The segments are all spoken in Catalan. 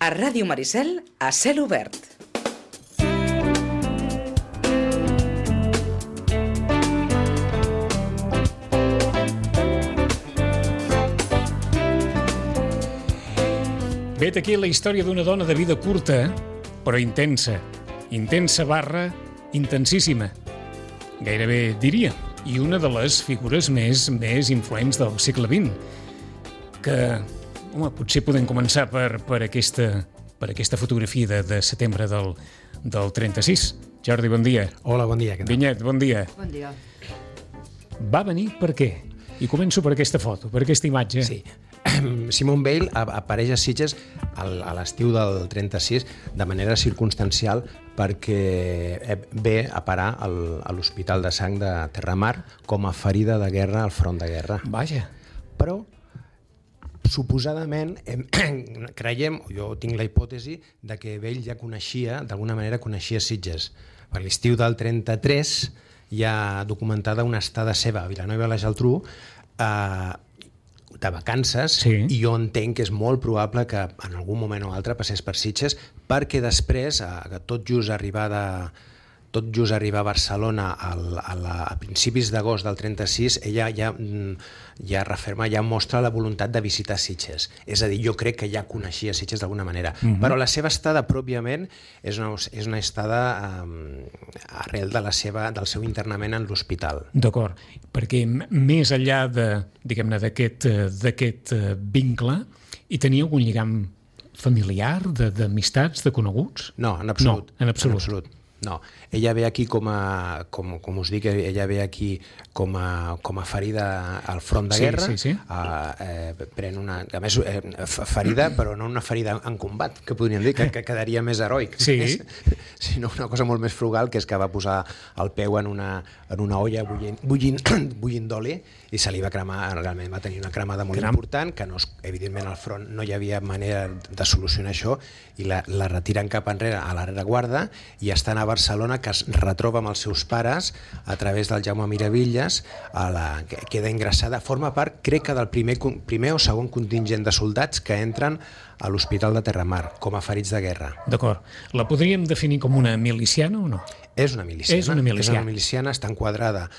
A Ràdio Maricel, a cel obert. Vet aquí la història d'una dona de vida curta, però intensa. Intensa barra intensíssima. Gairebé diria. I una de les figures més influents del segle XX. Que, home, potser podem començar per aquesta fotografia de setembre del 36. Jordi, bon dia. Hola, bon dia. Vinyet, bon dia. Bon dia. Va venir per què? I començo per aquesta foto, per aquesta imatge. Sí. Simone Weil apareix a Sitges a l'estiu del 36 de manera circumstancial perquè ve a parar a l'Hospital de Sang de Terramar com a ferida de guerra al front de guerra. Vaja. Però suposadament creiem, jo tinc la hipòtesi de que ell ja d'alguna manera coneixia Sitges. Per l'estiu del 33 hi ha documentada una estada seva a Vilanova i la Geltrú de vacances, sí. I jo entenc que és molt probable que en algun moment o altre passés per Sitges, perquè després, tot just arribar a Barcelona a principis d'agost del 36, ella ja referma, ja mostra la voluntat de visitar Sitges. És a dir, jo crec que ja coneixia Sitges d'alguna manera. Però la seva estada pròpiament és una estada arrel del seu internament en l'hospital. D'acord, perquè més enllà d'aquest vincle, hi tenia algun lligam familiar, d'amistats, de coneguts? No, en absolut. No, en absolut. No, ella ve aquí com us dic, ella ve aquí com a ferida al front de guerra. Sí. Pren a més, ferida, però no una ferida en combat, que podríem dir, que quedaria més heroic, sinó una cosa molt més frugal, que és que va posar el peu en una olla bullint d'oli i se li va cremar, realment va tenir una cremada molt important, que no, evidentment al front no hi havia manera de solucionar això, i la retiren cap enrere a la rereguarda i estan a Barcelona, que es retroba amb els seus pares a través del Jaume Miravilles, que queda ingressada, forma part, crec que del primer o segon contingent de soldats que entren a l'Hospital de Terramar com a ferits de guerra. D'acord. La podríem definir com una miliciana o no? És una miliciana. És una miliciana, està enquadrada.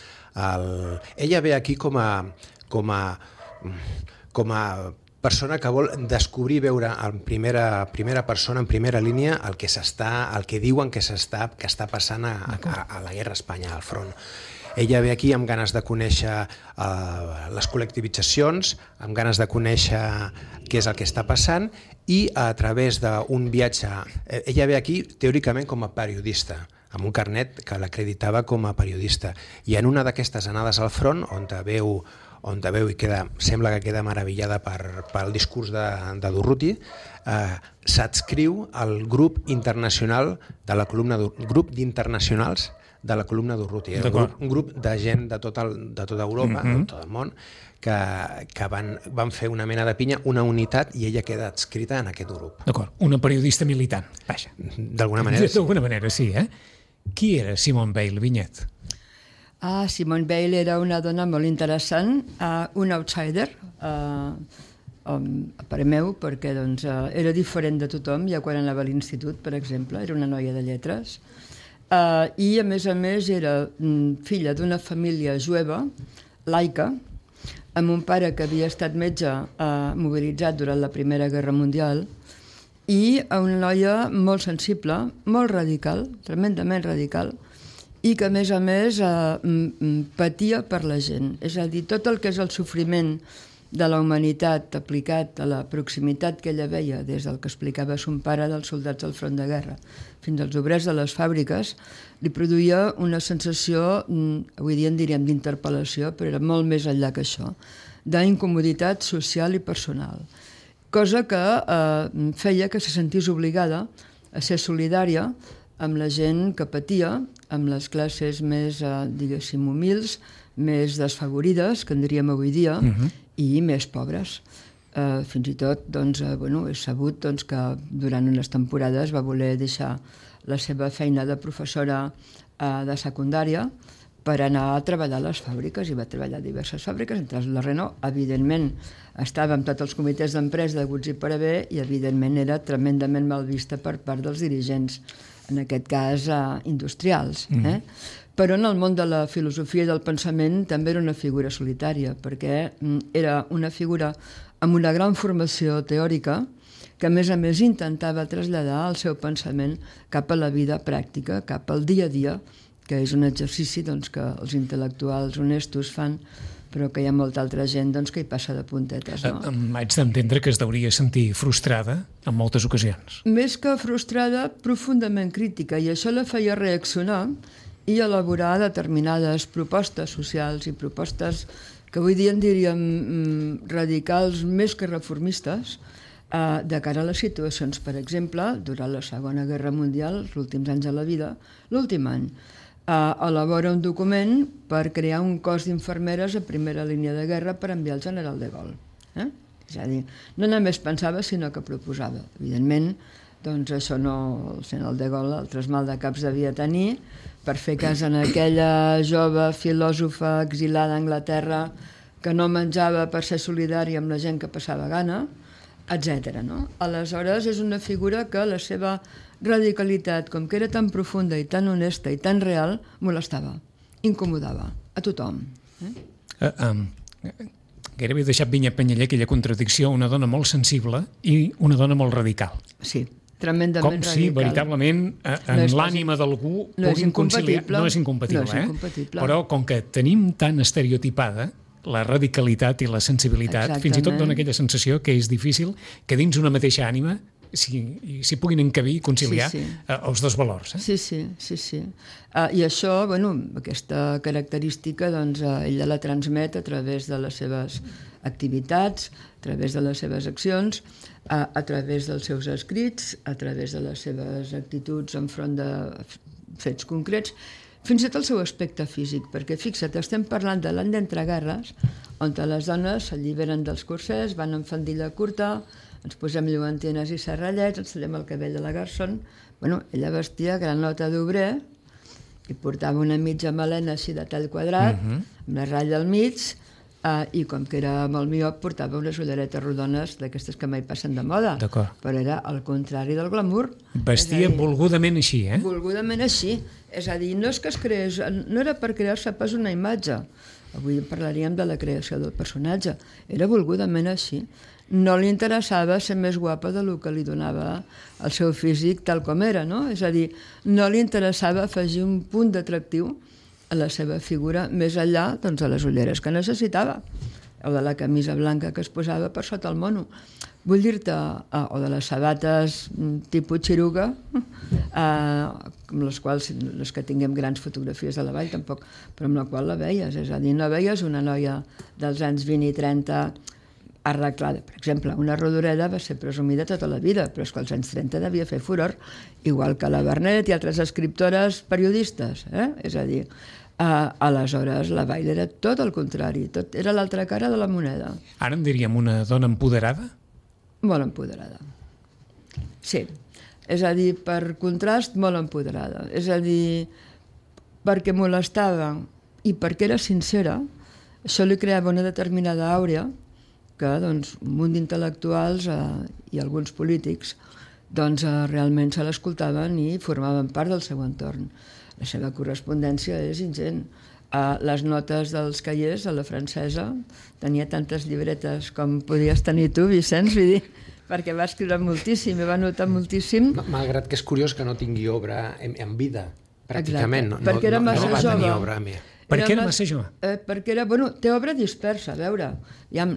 Ella ve aquí com a persona que vol descobrir, veure en primera persona, en primera línia, el que diuen que està passant a la guerra a Espanya, al front. Ella ve aquí amb ganes de conèixer les col·lectivitzacions, amb ganes de conèixer què és el que està passant, i a través d'un viatge... Ella ve aquí teòricament com a periodista, amb un carnet que l'acreditava com a periodista. I en una d'aquestes anades al front, on veu i sembla que queda meravellada pel discurs de Durruti, s'adscriu al grup internacional de la columna grup d'internacionals de la columna Durruti. Un grup de gent de tota Europa, de tot el món, que van fer una mena de pinya, una unitat, i ella queda adscrita en aquest grup. D'acord, una periodista militant, vaja. D'alguna manera, sí. D'alguna manera, sí, eh? Qui era Simone Weil, Vinyet? Simone Weil era una dona molt interessant, un outsider, a parer meu, perquè era diferent de tothom, ja quan anava a l'institut, per exemple, era una noia de lletres, i a més era filla d'una família jueva, laica, amb un pare que havia estat metge mobilitzat durant la Primera Guerra Mundial, i una noia molt sensible, molt radical, tremendament radical, i que a més patia per la gent. És a dir, tot el que és el sofriment de la humanitat aplicat a la proximitat que ella veia des del que explicava son pare dels soldats al front de guerra fins als obrers de les fàbriques, li produïa una sensació, avui dia en diríem d'interpel·lació, però era molt més enllà que això, d'incomoditat social i personal. Cosa que feia que se sentís obligada a ser solidària amb la gent que patia, amb les classes més, diguéssim, humils, més desfavorides, que en diríem avui dia, i més pobres. Fins i tot, és sabut que durant unes temporades va voler deixar la seva feina de professora de secundària per anar a treballar a les fàbriques, i va treballar a diverses fàbriques, entre la Renault. Evidentment, estava amb tots els comitès d'empresa deguts i per haver, i evidentment era tremendament mal vista per part dels dirigents, en aquest cas industrials. Però en el món de la filosofia i del pensament també era una figura solitària, perquè era una figura amb una gran formació teòrica que, a més intentava traslladar el seu pensament cap a la vida pràctica, cap al dia a dia, que és un exercici que els intel·lectuals honestos fan, però que hi ha molta altra gent que hi passa de puntetes. No? Haig d'entendre que es deuria sentir frustrada en moltes ocasions. Més que frustrada, profundament crítica, i això la feia reaccionar i elaborar determinades propostes socials i propostes que avui dia en diríem radicals més que reformistes, de cara a les situacions. Per exemple, durant la Segona Guerra Mundial, els últims anys de la vida, l'últim any, elabora un document per crear un cos d'infermeres a primera línia de guerra per enviar al general de Gaulle. És a dir, no només pensava, sinó que proposava. Evidentment, això no, el general de Gaulle altres maldecaps devia tenir per fer cas en aquella jove filòsofa exilada a Anglaterra que no menjava per ser solidària amb la gent que passava gana, etc. No? Aleshores, és una figura que la seva radicalitat, com que era tan profunda i tan honesta i tan real, molestava, incomodava a tothom. Gairebé he deixat vinya penyaller aquella contradicció, una dona molt sensible i una dona molt radical. Sí, tremendament radical. Com si veritablement en l'ànima d'algú puguin conciliar. No és incompatible, però com que tenim tan estereotipada la radicalitat i la sensibilitat, fins i tot dona aquella sensació que és difícil que dins una mateixa ànima s'hi puguin encabir i conciliar els dos valors. Sí. I això, aquesta característica, ella la transmet a través de les seves activitats, a través de les seves accions, a través dels seus escrits, a través de les seves actituds enfront de fets concrets, fins i tot el seu aspecte físic, perquè fixa't, estem parlant de l'any d'entreguerres, on les dones s'alliberen dels corsers, van amb faldilla curta, ens posem lluentines i serrallets, ens tallem el cabell de la Garçon. Ella vestia granota d'obrer i portava una mitja melena així de tall quadrat, amb la ratlla al mig, i com que era molt miop portava unes ulleretes rodones d'aquestes que mai passen de moda, però era al contrari del glamour. Vestia volgudament així, Volgudament així, és a dir, no és que es creés, no era per crear-se pas una imatge, avui parlaríem de la creació del personatge, era volgudament així. No li interessava ser més guapa del que li donava el seu físic tal com era, no? És a dir, no li interessava afegir un punt d'atractiu a la seva figura, més enllà de les ulleres que necessitava, o de la camisa blanca que es posava per sota el mono. Vull dir-te, o de les sabates tipus xiruga, amb les quals, les que tinguem grans fotografies de la vall tampoc, però amb la qual la veies, és a dir, no veies una noia dels anys 20 i 30 arreglada. Per exemple, una Rodoreda va ser presumida tota la vida, però és que als anys 30 devia fer furor, igual que la Bernet i altres escriptores periodistes. És a dir, aleshores la Vall era tot el contrari, era l'altra cara de la moneda. Ara en diríem una dona empoderada? Molt empoderada. Sí. És a dir, per contrast, molt empoderada. És a dir, perquè molestava i perquè era sincera, això li creava una determinada àurea que un munt d'intel·lectuals i alguns polítics realment se l'escoltaven i formaven part del seu entorn. La seva correspondència és ingent. Les notes dels caiers a la francesa tenia tantes llibretes com podies tenir tu, Vicenç, vull dir, perquè va escriure moltíssim i va notar moltíssim. Malgrat que és curiós que no tingui obra en vida, pràcticament. Perquè era massa jove. No va tenir obra més. Per què era massa jove? Perquè era, té obra dispersa, a veure,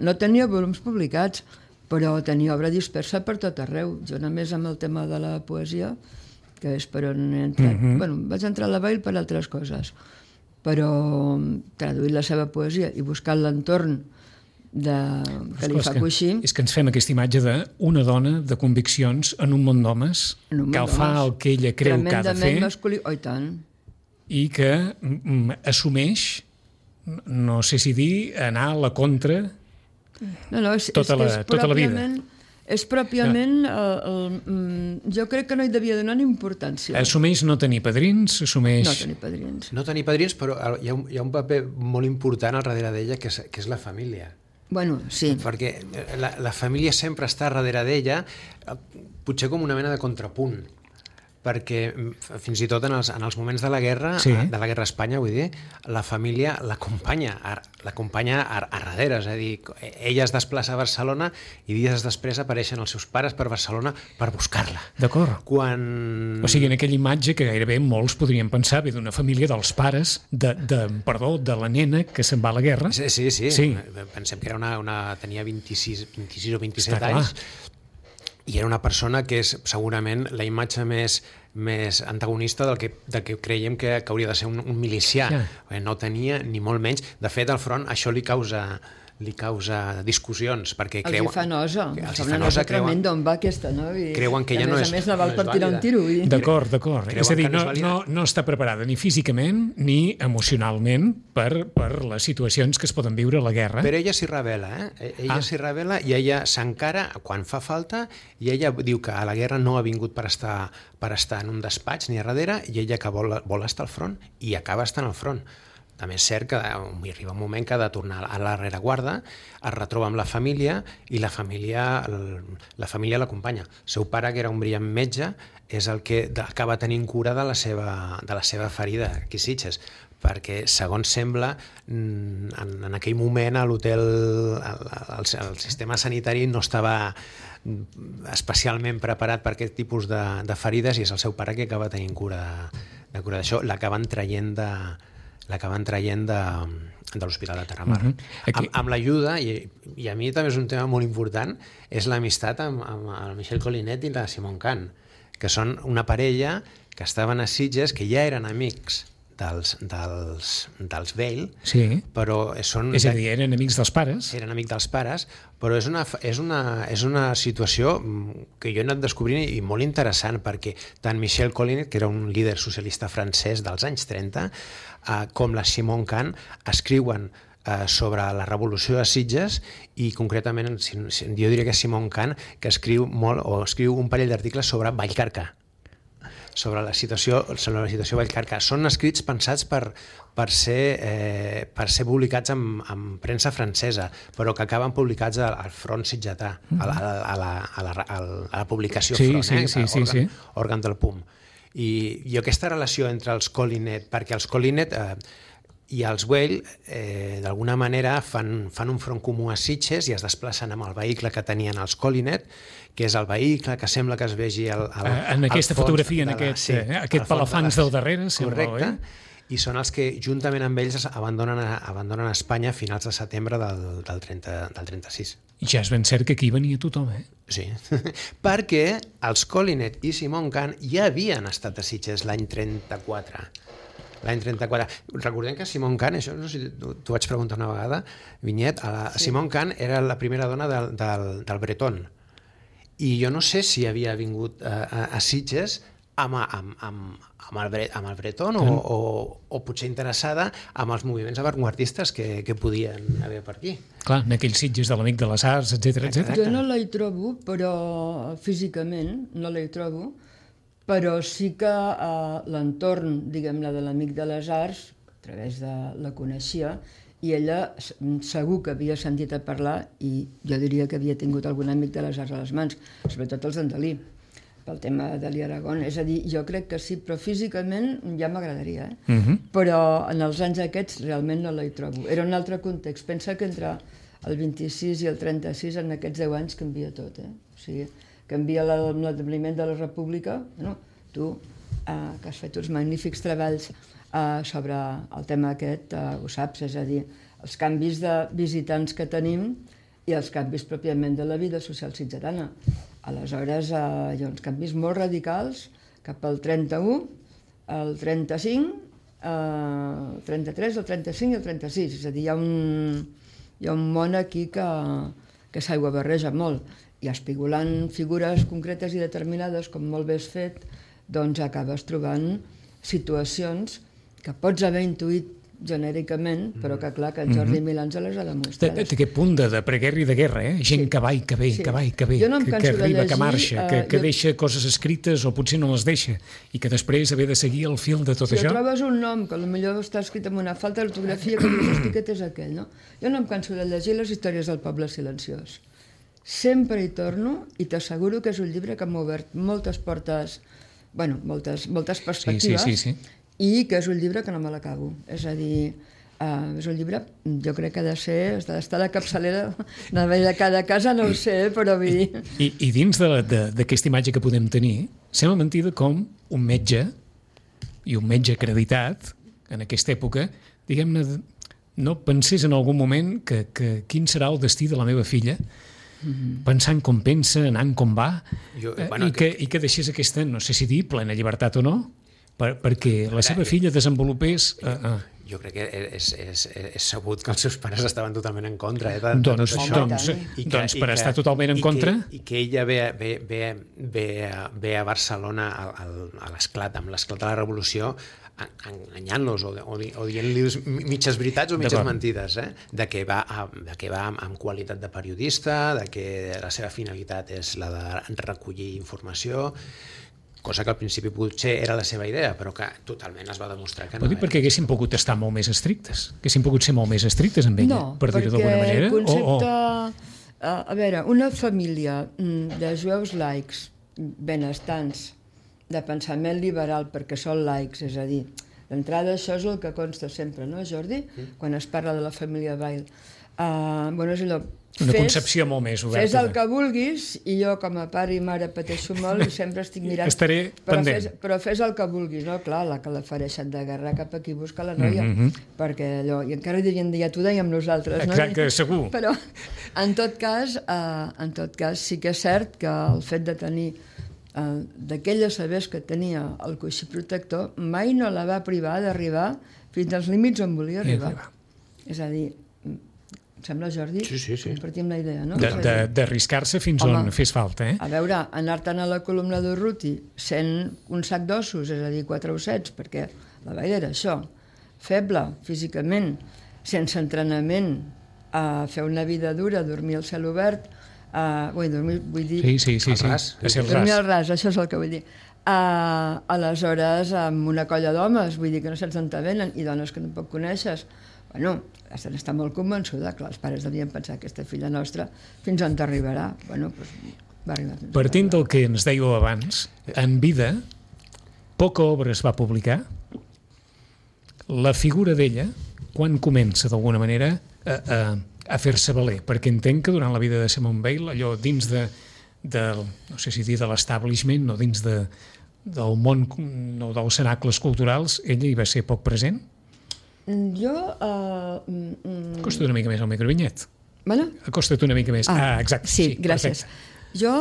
no tenia volums publicats, però tenia obra dispersa per tot arreu. Jo només amb el tema de la poesia, que és per on he entrat, vaig entrar a la Vall per altres coses, però traduir la seva poesia i buscar l'entorn que li fa coixí... És que ens fem aquesta imatge d'una dona de conviccions en un món d'homes que fa el que ella creu que ha de fer. Tremendament masculí, i tant. I que assumeix, no sé si dir, anar a la contra tota la vida. És pròpiament... jo crec que no hi devia donar ni importància. Assumeix no tenir padrins, assumeix... No tenir padrins. No tenir padrins, però hi ha un paper molt important al darrere d'ella, que és la família. Bueno, sí. Perquè la família sempre està darrere d'ella, potser com una mena de contrapunt, perquè fins i tot en els moments de la guerra, de la guerra a Espanya, vull dir, la família l'acompanya a darrere, és a dir, ella es desplaça a Barcelona i dies després apareixen els seus pares per Barcelona per buscar-la. D'acord. O sigui, en aquella imatge que gairebé molts podrien pensar ve d'una família dels pares, de la nena que se'n va a la guerra. Sí. Pensem que tenia 26 o 27 anys. I era una persona que és segurament la imatge més antagonista del que creiem que hauria de ser un milicià. No tenia ni molt menys. De fet, al front això li causa discussions, perquè creuen... Els hi fa nosa. Una nosa tremenda on va aquesta, no? Creuen que ja no és... A més, la val per tirar un tiro. D'acord. És a dir, no està preparada ni físicament ni emocionalment per les situacions que es poden viure a la guerra. Però ella s'hi revela, Ella s'hi revela i ella s'encara quan fa falta, i ella diu que a la guerra no ha vingut per estar en un despatx ni a darrere, i ella que vol estar al front, i acaba estant al front. També és cert que arriba un moment que ha de tornar a la rereguarda, es retroba amb la família i la família l'acompanya. El seu pare, que era un brillant metge, és el que acaba tenint cura de la seva ferida aquí a Sitges, perquè, segons sembla, en aquell moment a l'hotel el sistema sanitari no estava especialment preparat per aquest tipus de ferides, i és el seu pare que acaba tenint cura d'això. L'acaben traient de l'Hospital de Terramar. Amb l'ajuda, i a mi també és un tema molt important, és l'amistat amb el Michel Collinet i la Simone Cant, que són una parella que estaven a Sitges, que ja eren amics dels Veil, però és a dir, eren amics dels pares. Eren amics dels pares, però és una situació que jo he anat descobrint i molt interessant, perquè tant Michel Collinet, que era un líder socialista francès dels anys 30, com la Simone Cant escriuen sobre la revolució de Sitges, i concretament jo diria que Simone Cant, que escriu un parell d'articles sobre Vallcarca, sobre la situació a Vallcarca. Són escrits pensats per ser publicats en premsa francesa, però que acaben publicats al front sitgetà, a la publicació front, òrgan del PUM. I aquesta relació entre els Collinet, perquè els Collinet i els Weil d'alguna manera fan un front comú a Sitges i es desplacen amb el vehicle que tenien els Collinet, que és el vehicle que sembla que es vegi en aquesta fotografia, en aquest palafans del darrere. Correcte. I són els que, juntament amb ells, abandonen Espanya a finals de setembre del 36. I ja és ben cert que aquí venia tothom, Sí, perquè els Collinet i Simone Cant ja havien estat a Sitges l'any 34. Recordem que Simone Cant, això no sé si t'ho vaig preguntar una vegada, Vinyet, Simone Cant era la primera dona del Breton, i jo no sé si havia vingut a Sitges amb el Breton o potser interessada amb els moviments avantguardistes que podien haver per aquí. Clar, en aquells Sitges de l'Amic de les Arts, etc. Jo no la hi trobo, però físicament no la hi trobo, però sí que l'entorn, diguem-ne, de l'Amic de les Arts, a través de la coneixia, i ella segur que havia sentit a parlar, i jo diria que havia tingut algun amic de les arts a les mans, sobretot els d'en Dalí, pel tema de l'Aragón. És a dir, jo crec que sí, però físicament ja m'agradaria, però en els anys aquests realment no la hi trobo. Era un altre context. Pensa que entre el 26 i el 36, en aquests 10 anys, canvia tot. O sigui, canvia l'establiment de la República. Bueno, tu, que has fet uns magnífics treballs sobre el tema aquest, ho saps, és a dir, els canvis de visitants que tenim i els canvis pròpiament de la vida social sitgetana. Aleshores, hi ha uns canvis molt radicals cap al 31, el 35, el 33, el 35 i el 36. És a dir, hi ha un món aquí que s'aigua barreja molt, i espigolant figures concretes i determinades, com molt bé has fet, doncs acabes trobant situacions que pots haver intuït genèricament, però que clar, que en Jordi Milà ens les ha demostrat. Té aquest punt de preguerra i de guerra, gent que va i que ve, que va i que ve, que arriba, que marxa, que deixa coses escrites o potser no les deixa, i que després haver de seguir el fil de tot això. Si trobes un nom que potser està escrit amb una falta d'ortografia, que dius, hosti, aquest és aquell, no? Jo no em canso de llegir les històries del poble silenciós. Sempre hi torno i t'asseguro que és un llibre que m'ha obert moltes portes, bueno, moltes perspectives, i que és un llibre que no me l'acabo. És a dir, és un llibre, jo crec que ha d'estar a la capçalera de cada casa, no ho sé, però vull dir... I dins d'aquesta imatge que podem tenir, sembla mentida com un metge, i un metge acreditat, en aquesta època, diguem-ne, no pensés en algun moment que quin serà el destí de la meva filla, pensant com pensa, anant com va, i que deixés aquesta, no sé si dir, plena llibertat o no, perquè la seva filla desenvolupés... Jo crec que és sabut que els seus pares estaven totalment en contra de tot això. Doncs per estar totalment en contra... I que ella ve a Barcelona amb l'esclat de la revolució, enganyant-los o dient-los mitges veritats o mitges mentides, de que va amb qualitat de periodista, de que la seva finalitat és la de recollir informació, cosa que al principi potser era la seva idea, però que totalment es va demostrar que no era. Perquè haguessin pogut estar molt més estrictes, haguessin pogut ser molt més estrictes amb ella, per dir-ho d'alguna manera. No, perquè el concepte... A veure, una família de jueus laics, benestants, de pensament liberal, perquè són laics, és a dir, d'entrada això és el que consta sempre, no, Jordi? Quan es parla de la família Weil. Bueno, és allò... Una concepció molt més oberta. Fes el que vulguis, i jo com a pare i mare pateixo molt i sempre estic mirant... Estaré pendent. Però fes el que vulguis, no? Clar, la que la fareixen de guerra cap aquí busca la noia, perquè allò... I encara dirien, ja t'ho dèiem nosaltres, no? Exacte, segur. Però, en tot cas, sí que és cert que el fet de tenir d'aquelles sabers que tenia el coixí protector mai no la va privar d'arribar fins als límits on volia arribar. És a dir, em sembla, Jordi? Sí. Compartim la idea, no? D'arriscar-se fins on fes falta, A veure, anar-te'n a la columna d'Urruti sent un sac d'ossos, és a dir, 4 ossets, perquè la Weil era això, feble físicament, sense entrenament, a fer una vida dura, dormir al cel obert, vull dir... Sí. Dormir al ras, això és el que vull dir. Aleshores, amb una colla d'homes, vull dir que no saps on te venen, i dones que no poc coneixes. Bueno, està molt convençuda, clar, els pares devien pensar que aquesta filla nostra fins on t'arribarà. Bueno, doncs va arribar fins Partint del que ens dèieu abans, en vida, poca obra es va publicar. La figura d'ella, quan comença d'alguna manera a fer-se valer? Perquè entenc que durant la vida de Simone Weil, allò dins no sé si dir de l'establishment, no dins del món, no dels cenacles culturals, ella hi va ser poc present? Jo... Acosta't una mica més al microvinyet. Bueno? Acosta't una mica més. Exacte. Sí, gràcies. Perfecte. Jo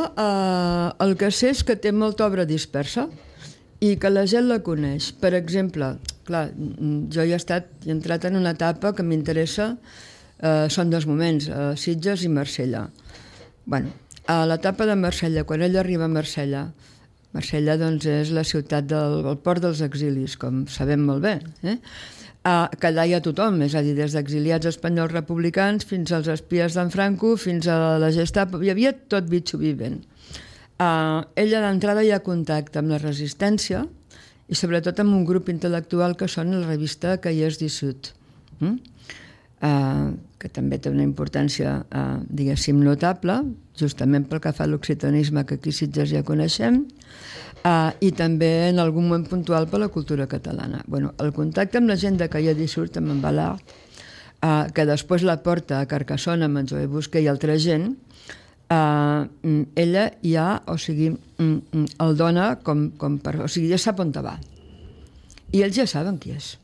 el que sé és que té molta obra dispersa i que la gent la coneix. Per exemple, clar, jo he entrat en una etapa que m'interessa, són 2 moments, Sitges i Marsella. Bueno, a l'etapa de Marsella, quan ella arriba a Marsella doncs és la ciutat del port dels exilis, com sabem molt bé, que allà hi ha tothom, és a dir, des d'exiliats espanyols republicans fins als espies d'en Franco, fins a la Gestapo, hi havia tot bitxo vivent. Ella d'entrada hi ha contacte amb la resistència i sobretot amb un grup intel·lectual que són la revista Cahiers du Sud, que també té una importància, diguéssim, notable, justament pel que fa a l'occitanisme, que aquí a Sitges ja coneixem, i també en algun moment puntual per la cultura catalana. Bueno, el contacte amb la gent de Cahiers du Sud, amb en Ballard, que després la porta a Carcassona amb en Joé Busquet i altra gent, ella ja, o sigui, el dona com per... O sigui, ja sap on va. I ells ja saben qui és.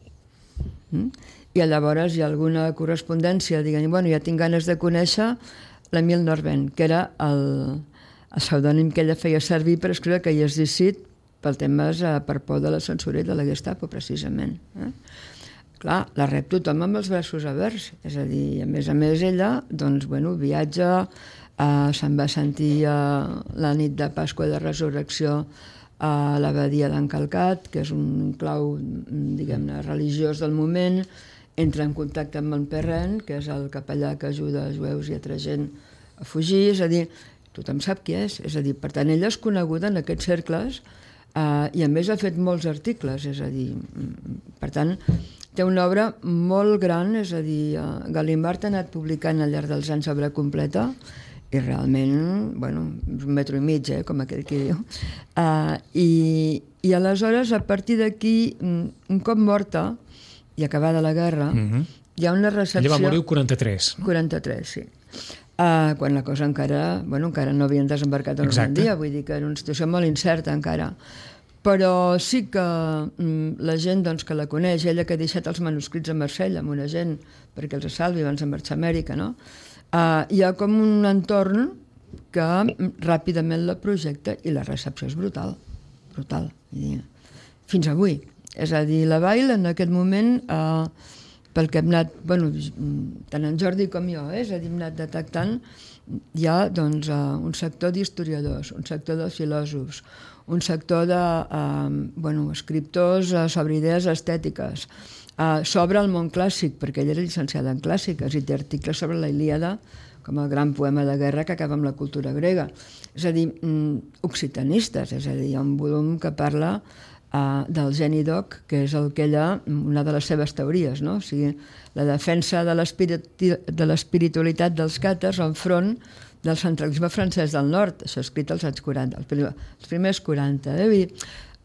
I llavors hi ha alguna correspondència, diguem, bueno, ja tinc ganes de conèixer l'Emile Norvent, que era el pseudònim que ella feia servir per escriure Cahiers du Sud pel temes per por de la censura i de la Gestapo, precisament. Clar, la rep tothom amb els braços oberts, és a dir, a més ella, doncs, bueno, viatja, se'n va sentir la nit de Pasqua de Resurrecció a l'abadia d'en Calcat, que és un clau, diguem-ne, religiós del moment, entra en contacte amb Montperren, que és el capellà que ajuda els jueus i altra gent a fugir, és a dir, tothom sap qui és a dir, per tant, ella és coneguda en aquests cercles i a més ha fet molts articles, és a dir, per tant, té una obra molt gran, és a dir, Gallimard ha anat publicant al llarg dels anys obra completa i realment, bueno, un metro i mig, com aquell que diu. I aleshores, a partir d'aquí, un cop morta i acabada la guerra, hi ha una recepció... Ella va morir el 43, no? 43, sí. Quan la cosa encara no havien desembarcat a Normandia, vull dir que era una situació molt incerta encara. Però sí que la gent que la coneix, ella que ha deixat els manuscrits a Marsella amb una gent perquè els salvi abans de marxar a Amèrica, no? Hi ha com un entorn que ràpidament la projecta i la recepció és brutal, brutal. Fins avui. És a dir, la Weil en aquest moment... pel que hem anat, tant en Jordi com jo, és a dir, hem anat detectant, hi ha un sector d'historiadors, un sector de filòsofs, un sector de escriptors sobre idees estètiques, sobre el món clàssic, perquè ella era llicenciada en clàssiques i té articles sobre la Ilíada, com el gran poema de guerra que acaba amb la cultura grega. És a dir, occitanistes, és a dir, hi ha un volum que parla del geni doc, que és una de les seves teories, no? O sigui, la defensa de l'espiritualitat dels càtars enfront del centralisme francès del nord, això escrit als anys 40, els primers 40.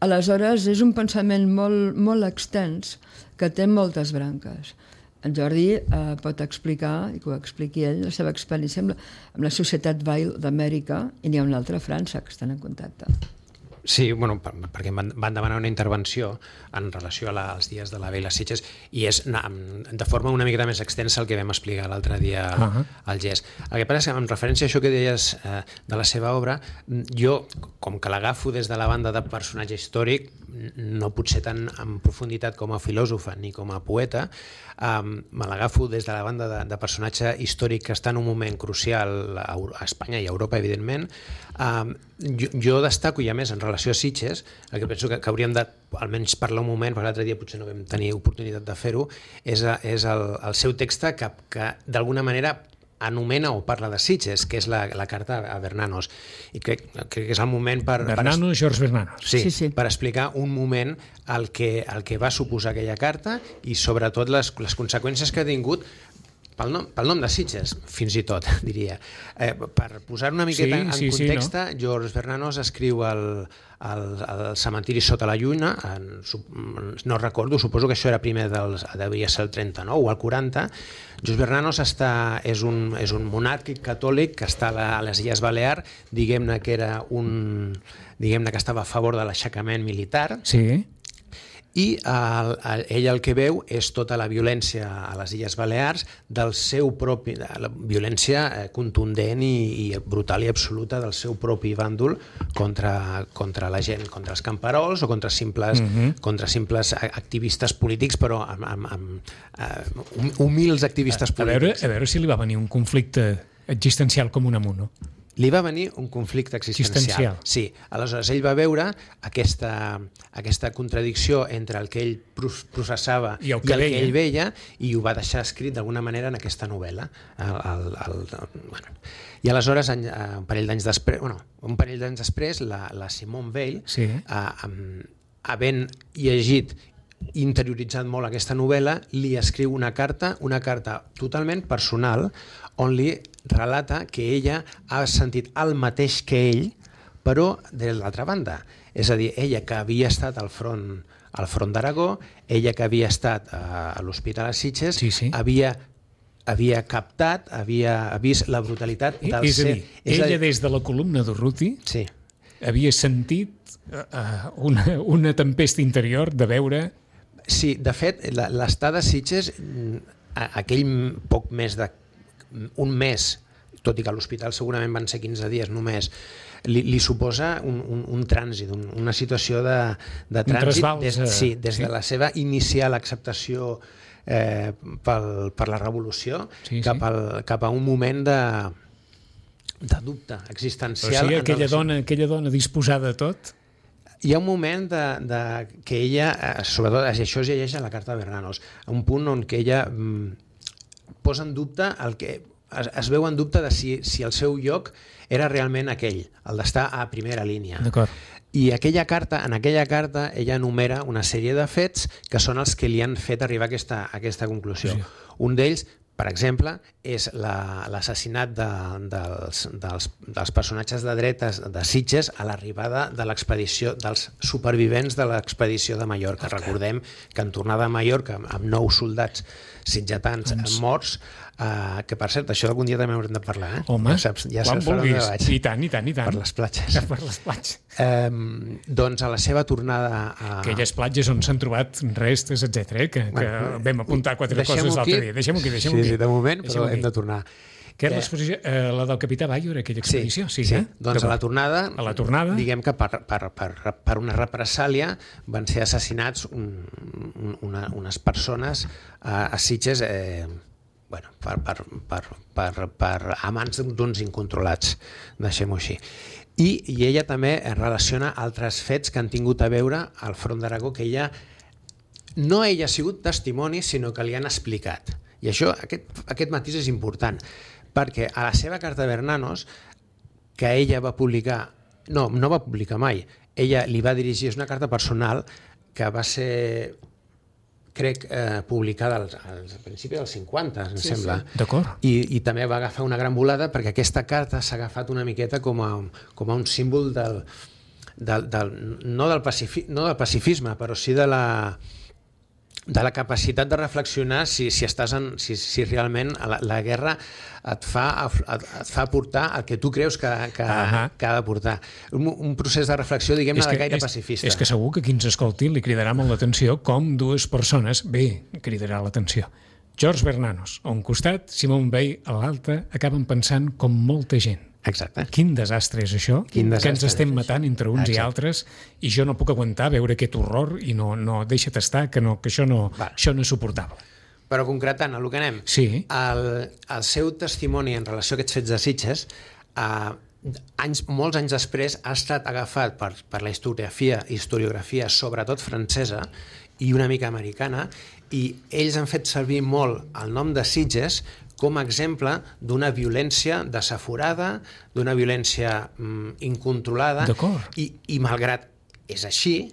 Aleshores, és un pensament molt, molt extens que té moltes branques. En Jordi pot explicar, i que ho expliqui ell, la seva experiència amb la Societat Weil d'Amèrica, i n'hi ha una altra a França que estan en contacte. Sí, perquè em van demanar una intervenció en relació als dies de la Weil a Sitges i és de forma una mica més extensa el que vam explicar l'altre dia al GES. El que passa és que en referència a això que deies de la seva obra, jo, com que l'agafo des de la banda de personatge històric, no potser tan en profunditat com a filòsofa ni com a poeta, me l'agafo des de la banda de personatge històric que està en un moment crucial a Espanya i a Europa, evidentment. Jo destaco, i a més en relació a Sitges, el que penso que hauríem de almenys parlar un moment, perquè l'altre dia potser no vam tenir oportunitat de fer-ho, és el seu text que d'alguna manera anomena o parla de Sitges, que és la carta a Bernanos. I crec que és el moment per... Bernanos, George Bernanos. Sí, per explicar un moment el que va suposar aquella carta i sobretot les conseqüències que ha tingut pel nom de Sitges, fins i tot, diria. Per posar una miqueta en context, no? George Bernanos escriu el cementiri sota la lluna, no recordo, suposo que això era primer devia ser el 39 o el 40. George Bernanos és un monàrquic catòlic que està a les Illes Balears, diguem-ne que estava a favor de l'aixecament militar. Sí. I ell el que veu és tota la violència a les Illes Balears del seu propi, la violència contundent i brutal i absoluta del seu propi bàndol contra la gent, contra els camperols o contra simples activistes polítics, però humils activistes polítics. A veure si li va venir un conflicte existencial com un amunt, no? Li va venir un conflicte existencial. Sí, aleshores ell va veure aquesta contradicció entre el que ell processava i el que ell veia i ho va deixar escrit d'alguna manera en aquesta novel·la. I aleshores, un parell d'anys després, la Simone Weil, havent llegit i interioritzat molt aquesta novel·la, li escriu una carta totalment personal on li relata que ella ha sentit el mateix que ell, però de l'altra banda. És a dir, ella que havia estat al front d'Aragó, ella que havia estat a l'Hospital a Sitges, havia captat, havia vist la brutalitat del ser... Ella des de la columna d'Urruti havia sentit una tempesta interior de veure... Sí, de fet, l'estada a Sitges, aquell poc més d'un mes, tot i que a l'hospital segurament van ser 15 dies només, li suposa un trànsit, una situació de trànsit des de la seva inicial acceptació per la revolució cap a un moment de dubte existencial. O sigui, aquella dona disposada a tot... hi ha un moment que ella, sobretot això es llegeix a la carta de Bernanos, un punt on que ella posa en dubte es veu en dubte de si el seu lloc era realment aquell, el d'estar a primera línia. D'acord. I en aquella carta ella enumera una sèrie de fets que són els que li han fet arribar a aquesta conclusió. Sí. Un d'ells, per exemple, és l'assassinat dels personatges de dretes de Sitges a l'arribada de l'expedició, dels supervivents de l'expedició de Mallorca. Okay. Recordem que en tornada a Mallorca, amb 9 soldats sitgetans morts, que per cert, això algun dia també haurem de parlar, eh? Home, ja quan vulguis. I tant. Per les platges. Per les platges. Doncs a la seva tornada a... Aquelles platges on s'han trobat restes, etc. que vam apuntar 4 coses l'altre dia. Deixem-ho aquí. Sí, de moment, però hem de tornar. Què és l'exposició? La del Capità Bayo era aquella expedició? Sí. Doncs a la tornada, diguem que per una represàlia van ser assassinats unes persones a Sitges per amants d'uns incontrolats, deixem-ho així. I ella també relaciona altres fets que han tingut a veure al Front d'Aragó, que ella ha sigut testimoni, sinó que li han explicat. I això, aquest matís és important, perquè a la seva carta a Bernanos, que ella va publicar, no va publicar mai, ella li va dirigir, és una carta personal que va ser, crec, publicada al principi dels 50, em sembla. D'acord. I també va agafar una gran volada perquè aquesta carta s'ha agafat una miqueta com a un símbol no del pacifisme, però sí de la capacitat de reflexionar si realment la guerra et fa portar el que tu creus que ha de portar. Un procés de reflexió, diguem-ne, de gaire pacifista. És que segur que qui ens escolti li cridarà molt l'atenció com dues persones, cridarà l'atenció. George Bernanos, a un costat, Simone Weil a l'altre, acaben pensant com molta gent. Exacte. Quin desastre és això, que ens estem matant entre uns i altres, i jo no puc aguantar veure aquest horror i no deixa't estar, que això no és suportable. Però concretant, el que anem, el seu testimoni en relació a aquests fets de Sitges, molts anys després, ha estat agafat per la historiografia, sobretot francesa i una mica americana, i ells han fet servir molt el nom de Sitges com a exemple d'una violència desaforada, d'una violència incontrolada, i malgrat és així,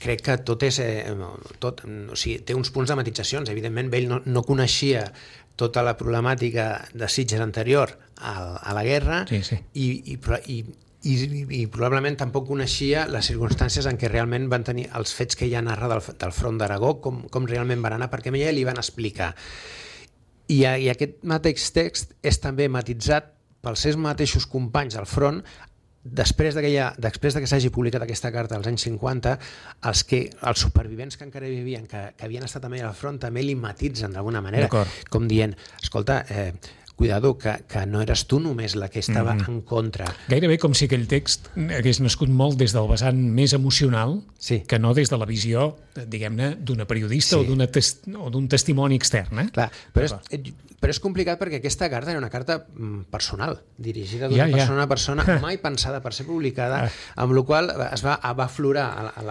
crec que tot és... té uns punts de matisacions. Evidentment, ell no coneixia tota la problemàtica de Sitges anterior a la guerra i probablement tampoc coneixia les circumstàncies en què realment van tenir els fets que ella narra del Front d'Aragó, com realment van anar, perquè a ella li van explicar. I aquest mateix text és també matitzat pels seus mateixos companys al front. Després que s'hagi publicat aquesta carta als anys 50, els supervivents que encara vivien, que havien estat també al front, també li matitzen d'alguna manera, com dient, escolta, cuidado, que no eres tu només la que estava en contra. Gairebé com si aquell text hagués nascut molt des del vessant més emocional que no des de la visió, diguem-ne, d'una periodista o d'un testimoni extern. Clar, però és complicat perquè aquesta carta era una carta personal, dirigida d'una persona a una persona, mai pensada per ser publicada, amb la qual es va aflorar a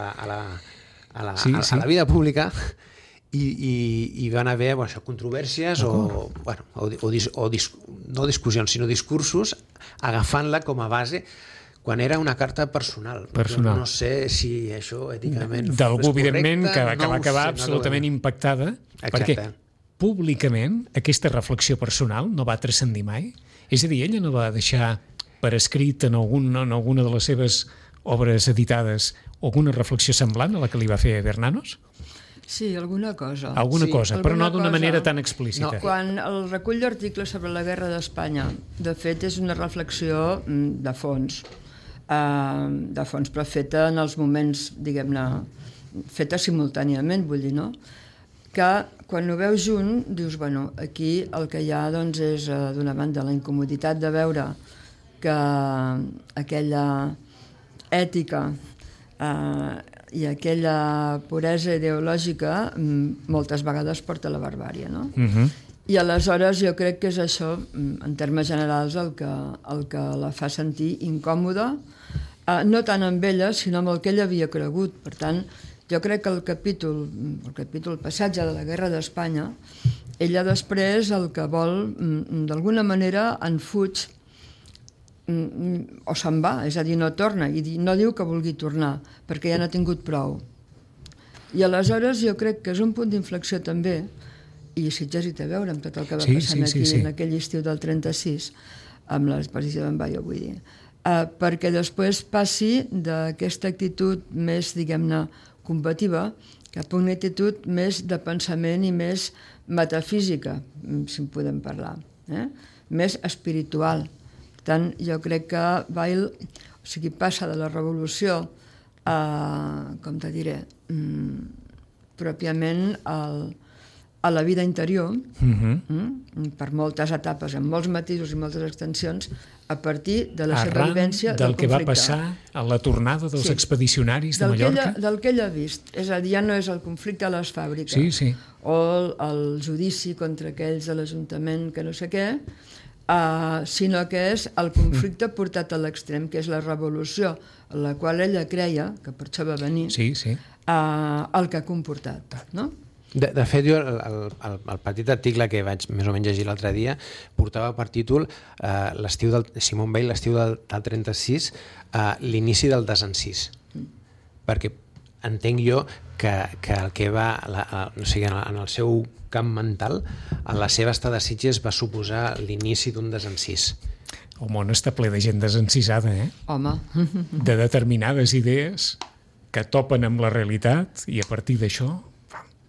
la vida pública. I van haver controvèrsies no discussions, sinó discursos, agafant-la com a base quan era una carta personal. No sé si això èticament fos correcte. D'algú, evidentment, que va acabar absolutament impactada, perquè públicament aquesta reflexió personal no va transcendir mai. És a dir, ella no va deixar per escrit en alguna de les seves obres editades alguna reflexió semblant a la que li va fer Bernanos? Sí, alguna cosa. Alguna cosa, però no d'una manera tan explícita. Quan el recull d'articles sobre la guerra d'Espanya, de fet, és una reflexió de fons, però feta en els moments, diguem-ne, feta simultàniament, vull dir, no? Que quan ho veus junt, dius, bueno, aquí el que hi ha doncs, és, d'una banda, la incomoditat de veure que aquella ètica i aquella puresa ideològica moltes vegades porta a la barbària, no? I aleshores jo crec que és això, en termes generals, el que la fa sentir incòmoda, no tant amb ella, sinó amb el que ella havia cregut. Per tant, jo crec que el capítol passatge de la Guerra d'Espanya, ella després el que vol, d'alguna manera, en fuig o se'n va, és a dir, no torna, i no diu que vulgui tornar, perquè ja n'ha tingut prou. I aleshores jo crec que és un punt d'inflexió també, i Sitges hi té a veure amb tot el que va passant aquí en aquell estiu del 36, amb l'exposició d'en Bayo, vull dir, perquè després passi d'aquesta actitud més, diguem-ne, combativa, cap a una actitud més de pensament i més metafísica, si en podem parlar, més espiritual. Per tant, jo crec que Weil, o sigui, passa de la revolució a, com te diré, pròpiament a la vida interior, per moltes etapes, amb molts matisos i moltes extensions, a partir de la seva vivència del conflicte. Del que va passar a la tornada dels expedicionaris de Mallorca? Del que ella ha vist. És a dir, ja no és el conflicte a les fàbriques o el judici contra aquells de l'Ajuntament que no sé què, sinó que és el conflicte portat a l'extrem, que és la revolució, en la qual ella creia, que per això va venir, el que ha comportat, no? De fet, jo el petit article que vaig més o menys llegir l'altre dia portava per títol l'estiu del Simone Weil, l'estiu del 36, l'inici del desencís. Perquè entenc jo que el que va, o sigui, en el seu camp mental, en la seva estada a Sitges va suposar l'inici d'un desencís. El món està ple de gent desencisada, Home. De determinades idees que topen amb la realitat i a partir d'això...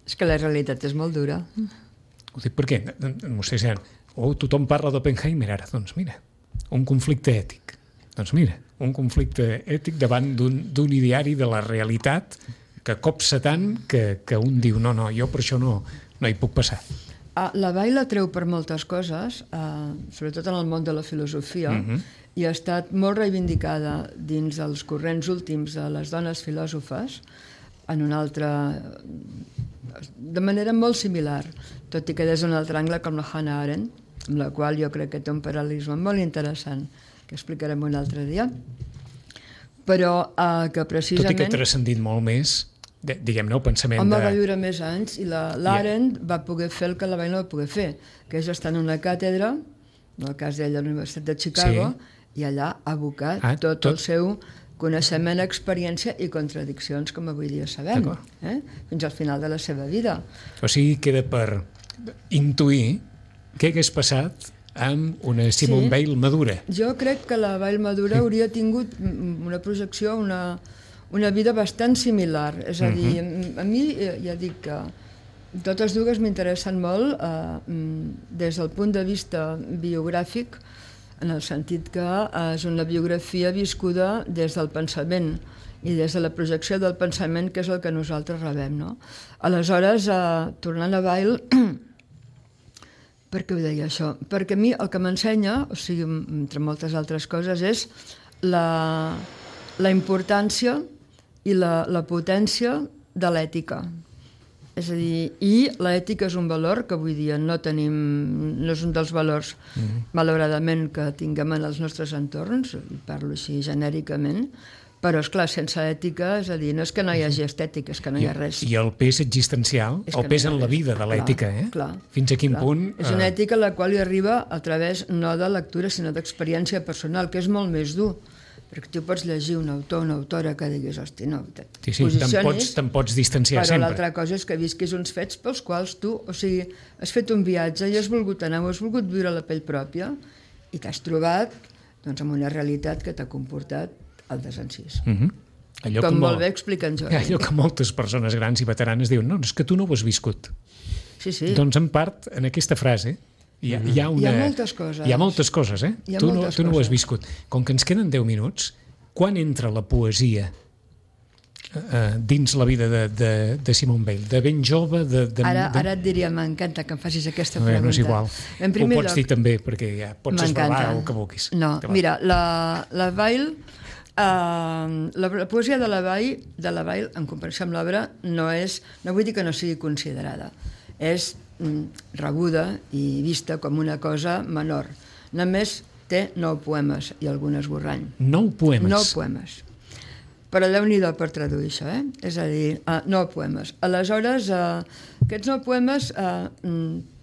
És que la realitat és molt dura. Ho dic perquè, vostès diran, tothom parla d'Oppenheimer ara. Doncs mira, un conflicte ètic. Doncs mira, un conflicte ètic davant d'un ideari de la realitat que copsa tant que un diu no, jo per això no hi puc passar. La Weil la treu per moltes coses, sobretot en el món de la filosofia, i ha estat molt reivindicada dins els corrents últims de les dones filòsofes, en un altre... de manera molt similar, tot i que des d'un altre angle com la Hannah Arendt, amb la qual jo crec que té un paral·lelisme molt interessant, que explicarem un altre dia, però que precisament... Tot i que ha transcendit molt més, diguem-ne, el pensament Home, va viure més anys, i l'Arendt va poder fer el que la Weil no va poder fer, que és estar en una càtedra, en el cas d'ella a la Universitat de Chicago, i allà abocar tot el seu coneixement, experiència i contradiccions, com avui dia sabem, fins al final de la seva vida. O sigui, queda per intuir què hagués passat amb una Simone Weil madura. Jo crec que la Weil madura hauria tingut una projecció, una vida bastant similar. És a dir, a mi ja dic que totes dues m'interessen molt des del punt de vista biogràfic, en el sentit que és una biografia viscuda des del pensament i des de la projecció del pensament, que és el que nosaltres rebem, no? Aleshores, tornant a Weil, per què ho deia això? Perquè a mi el que m'ensenya, o sigui, entre moltes altres coses, és la importància i la potència de l'ètica. És a dir, i l'ètica és un valor que avui dia no tenim, no és un dels valors, malauradament, que tinguem en els nostres entorns, parlo així genèricament, però, esclar, sense ètica, és a dir, no és que no hi hagi estètica, és que no hi ha res. I el pes existencial, el pes en la vida de l'ètica, Fins a quin punt... És una ètica a la qual hi arriba a través no de lectura, sinó d'experiència personal, que és molt més dur. Perquè tu pots llegir un autor o una autora que diguis, hosti, no, te'n pots distanciar sempre. Però l'altra cosa és que visquis uns fets pels quals tu, o sigui, has fet un viatge i has volgut anar o has volgut viure a la pell pròpia i t'has trobat amb una realitat que t'ha comportat el desencís. Com molt bé explica en Jordi. Allò que moltes persones grans i veteranes diuen, no, és que tu no ho has viscut. Sí. Doncs en part, en aquesta frase, hi ha moltes coses. Hi ha moltes coses, Tu no ho has viscut. Com que ens queden 10 minuts, quan entra la poesia dins la vida de Simone Weil? De ben jove? Ara et diria, m'encanta que em facis aquesta pregunta. No és igual. Ho pots dir també, perquè ja pots esbalar el que vulguis. No, mira, la Weil... la poesia de la Weil, en comparació amb l'obra, no vull dir que no sigui considerada. És rebuda i vista com una cosa menor. Només té 9 poemes i algun esborrany. 9 poemes? 9 poemes. Però Déu-n'hi-do per traduir això, És a dir, 9 poemes. Aleshores, aquests 9 poemes,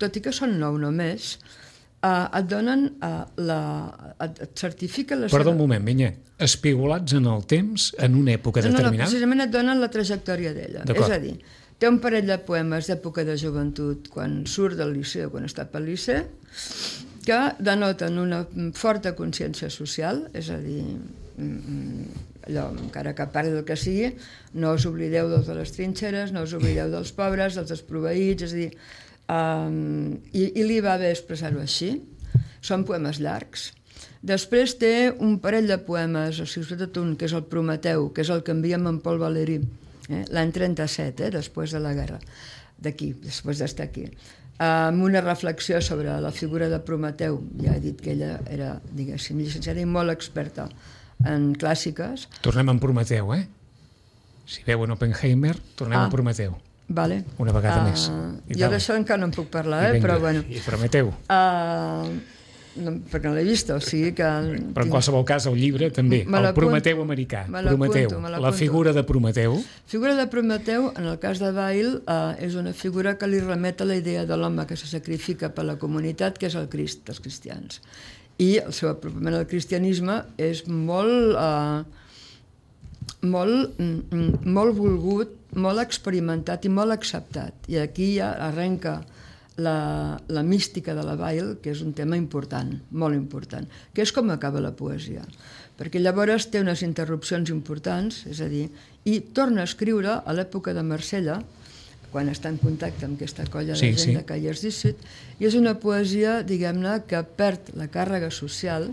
tot i que són 9 només, et donen et certifiquen la Perdó un moment, Vinyet. Espigolats en el temps, en una època determinada? No, precisament et donen la trajectòria d'ella. És a dir, té un parell de poemes d'època de joventut, quan surt del liceu, quan està pel liceu, que denoten una forta consciència social, és a dir, allò, encara que parli del que sigui, no us oblideu de les trinxeres, no us oblideu dels pobres, dels desproveïts, és a dir, i li va bé expressar-ho així. Són poemes llargs. Després té un parell de poemes, o sigui, sobretot un, que és el Prometeu, que és el que enviem en Paul Valéry, l'any 37, després de la guerra, després d'estar aquí, amb una reflexió sobre la figura de Prometeu. Ja he dit que ella era, diguéssim, llicenciada i molt experta en clàssiques. Tornem en Prometeu, Si veuen Oppenheimer, tornem en Prometeu. Vale. Una vegada més. Jo d'això encara no en puc parlar, però bueno. I Prometeu. No, perquè no l'he vist, o sigui que... Però en qualsevol cas el llibre també, el Prometeu americà, Prometeu, la figura de Prometeu. Figura de Prometeu, en el cas de Weil, és una figura que li remet a la idea de l'home que se sacrifica per la comunitat, que és el Crist, els cristians. I el seu apropament al cristianisme és molt volgut, molt experimentat i molt acceptat. I aquí ja arrenca la mística de la Weil, que és un tema important, molt important, que és com acaba la poesia. Perquè llavors té unes interrupcions importants, és a dir, i torna a escriure a l'època de Marsella, quan està en contacte amb aquesta colla de gent de Callers d'Issut, i és una poesia, diguem-ne, que perd la càrrega social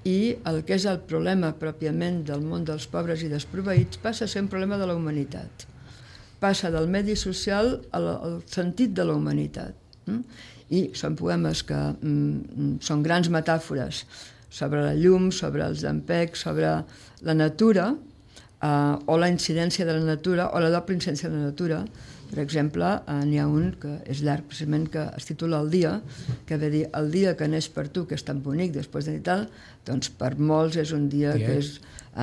i el que és el problema pròpiament del món dels pobres i desproveïts passa a ser un problema de la humanitat. Passa del medi social al sentit de la humanitat. I són poemes que són grans metàfores sobre la llum, sobre els llampecs, sobre la natura, o la incidència de la natura, o la doble incidència de la natura. Per exemple, n'hi ha un que és llarg, precisament, que es titula El dia, que ve dir, el dia que neix per tu, que és tan bonic, després de tal, doncs per molts és un dia que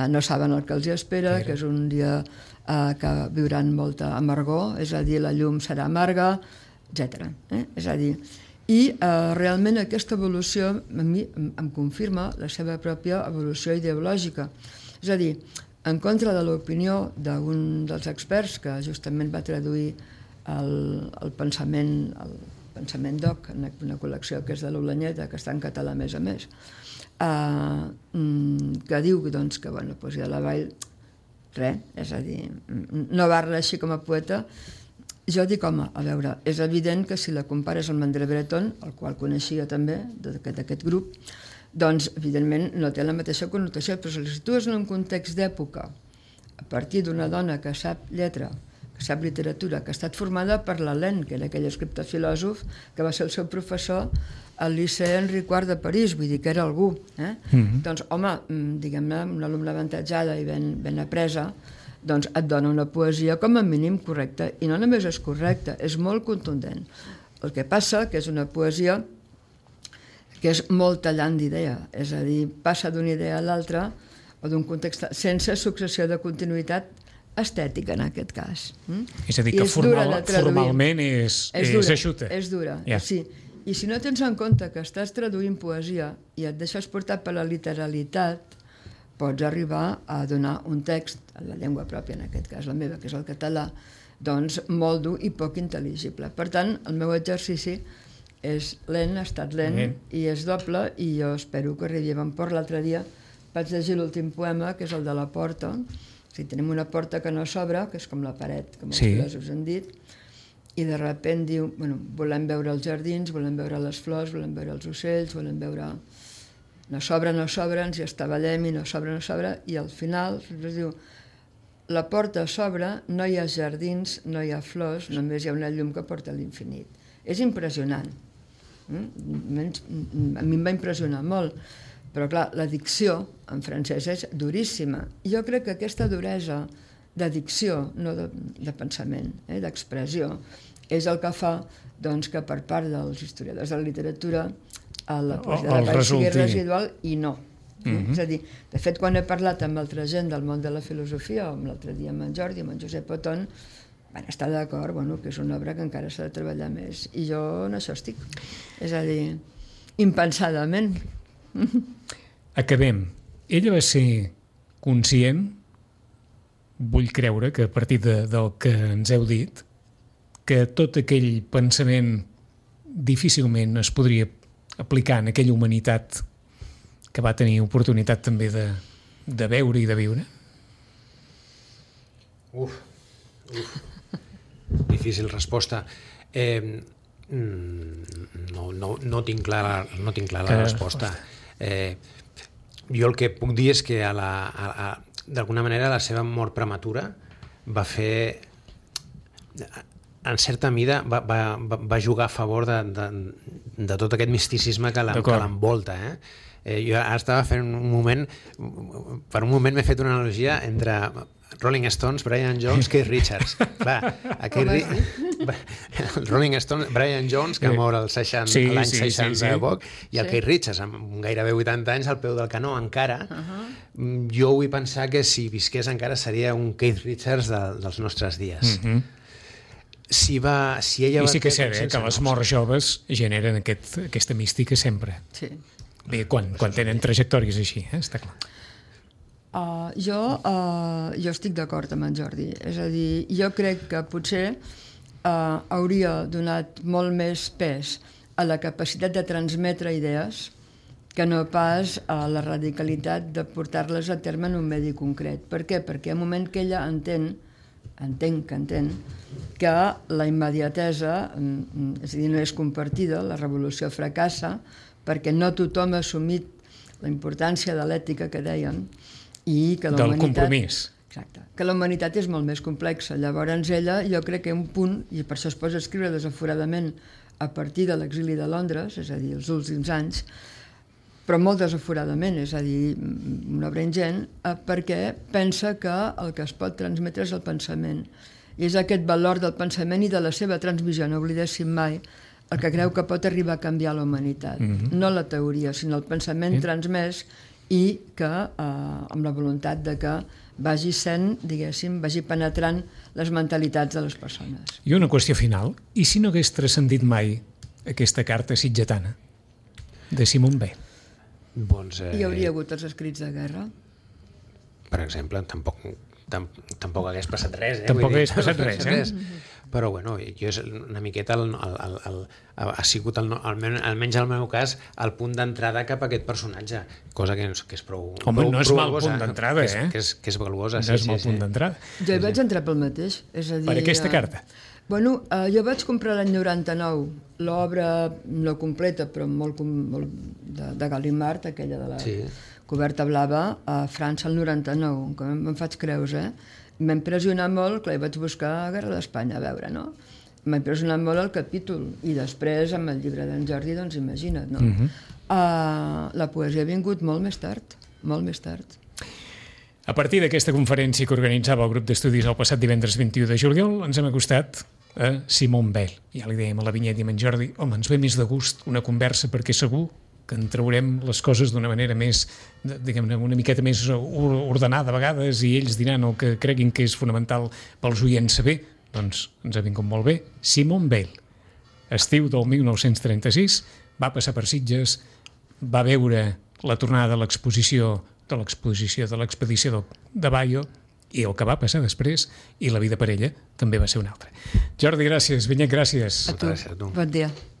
no saben el que els espera, que és un dia que viuran molta amargor, és a dir, la llum serà amarga, etc. És a dir, i realment aquesta evolució a mi em confirma la seva pròpia evolució ideològica. És a dir, en contra de l'opinió d'un dels experts que justament va traduir el pensament doc en una col·lecció que és de l'Olanyeta, que està en català a més, que diu que la poesia de la Weil, res, és a dir, no va reeixir com a poeta. Jo dic, home, a veure, és evident que si la compares amb André Breton, el qual coneixia també, d'aquest grup, doncs, evidentment, no té la mateixa connotació, però si la situes en un context d'època, a partir d'una dona que sap lletra, que sap literatura, que ha estat formada per l'Alain, que era aquell escriptor filòsof, que va ser el seu professor al Liceu Henri IV de París, vull dir que era algú. Doncs, home, diguem-ne, una alumna avantatjada i ben apresa, doncs et dona una poesia com a mínim correcta, i no només és correcta, és molt contundent. El que passa que és una poesia que és molt tallant d'idea, és a dir, passa d'una idea a l'altra o d'un context sense successió de continuïtat estètica, en aquest cas. És a dir, que formalment és eixuta. És dura, sí. I si no tens en compte que estàs traduint poesia i et deixes portar per la literalitat, pots arribar a donar un text, en la llengua pròpia, en aquest cas la meva, que és el català, doncs molt dur i poc intel·ligible. Per tant, el meu exercici és lent, ha estat lent, i és doble, i jo espero que arribi a bon port. L'altre dia vaig llegir l'últim poema, que és el de la porta. O sigui, tenim una porta que no s'obre, que és com la paret, com els filòsofs han dit, i de sobte diu, volem veure els jardins, volem veure les flors, volem veure els ocells, volem veure... No s'obre, ens hi estavellem i no s'obre, i al final es diu, la porta s'obre, no hi ha jardins, no hi ha flors, només hi ha una llum que porta a l'infinit. És impressionant. A mi em va impressionar molt, però clar, la dicció en francès és duríssima. Jo crec que aquesta duresa de dicció, no de pensament, d'expressió, és el que fa doncs, que per part dels historiadors de la literatura la poesia de la pau sigui residual i no. És a dir, de fet, quan he parlat amb altra gent del món de la filosofia, o l'altre dia amb en Jordi, amb en Josep Oton, van estar d'acord que és una obra que encara s'ha de treballar més. I jo en això estic. És a dir, impensadament. Acabem. Ella va ser conscient, vull creure que a partir del que ens heu dit, que tot aquell pensament difícilment es podria aplicar en aquella humanitat que va tenir oportunitat també de veure i de viure? Difícil resposta. No tinc clara la resposta. Jo el que puc dir és que d'alguna manera la seva mort prematura va fer, en certa mida, va jugar a favor de tot aquest misticisme que l'envolta. Jo ara estava fent per un moment m'he fet una analogia entre Rolling Stones, Brian Jones, Keith Richards. Rolling Stones, Brian Jones, que mor l'any 60 de poc, i el Keith Richards, amb gairebé 80 anys, al peu del canó encara. Jo vull pensar que si visqués encara seria un Keith Richards dels nostres dies. Si ella I sí que és cert, que les morts joves generen aquesta mística sempre. Sí. Bé, quan tenen trajectòries així, està clar. Jo estic d'acord amb en Jordi. És a dir, jo crec que potser hauria donat molt més pes a la capacitat de transmetre idees que no pas a la radicalitat de portar-les a terme en un medi concret. Per què? Perquè al moment que ella entén que la immediatesa, és a dir, no és compartida, la revolució fracassa, perquè no tothom ha assumit la importància de l'ètica que dèiem i que la del humanitat... compromís. Exacte. Que la humanitat és molt més complexa. Llavors ella, jo crec que un punt, i per això es posa a escriure desaforadament a partir de l'exili de Londres, és a dir, els últims anys, però molt desaforadament, és a dir, una obra ingent, perquè pensa que el que es pot transmetre és el pensament. I és aquest valor del pensament i de la seva transmissió, no oblidéssim mai, el que creu que pot arribar a canviar la humanitat. No la teoria, sinó el pensament transmès i que amb la voluntat de que vagi sent, diguéssim, vagi penetrant les mentalitats de les persones. I una qüestió final. I si no hagués transcendit mai aquesta carta sitgetana de Simone Weil? Hi hauria hagut els escrits de guerra? Per exemple, tampoc hagués passat res. Tampoc hagués passat res. Però bueno, jo és una miqueta ha sigut, almenys al meu cas, el punt d'entrada cap a aquest personatge, cosa que és prou... Home, no és mal punt d'entrada, que és valuosa. No és mal punt d'entrada. Jo hi vaig entrar pel mateix. És a dir, per aquesta carta? Bueno, jo vaig comprar l'any 99 l'obra no completa, però molt de Gallimard, aquella de la coberta blava, a França el 99, que me'n faig creus, M'ha impressionat molt, clar, vaig buscar Guerra d'Espanya a veure, no? M'ha impressionat molt el capítol, i després amb el llibre d'en Jordi, doncs imagina't, no? La poesia ha vingut molt més tard. A partir d'aquesta conferència que organitzava el grup d'estudis el passat divendres 21 de juliol, ens hem acostat a Simone Weil. Ja li dèiem a la Vinyet i a en Jordi, home, ens ve més de gust una conversa perquè segur que en traurem les coses d'una manera més, diguem-ne, una miqueta més ordenada a vegades, i ells diran el que creguin que és fonamental pels oients saber. Doncs ens ha vingut molt bé. Simone Weil, estiu del 1936, va passar per Sitges, va veure la tornada de l'expedició de Baio, i el que va passar després, i la vida per ella també va ser una altra. Jordi, gràcies. Vinyet, gràcies. A tu. Bon dia.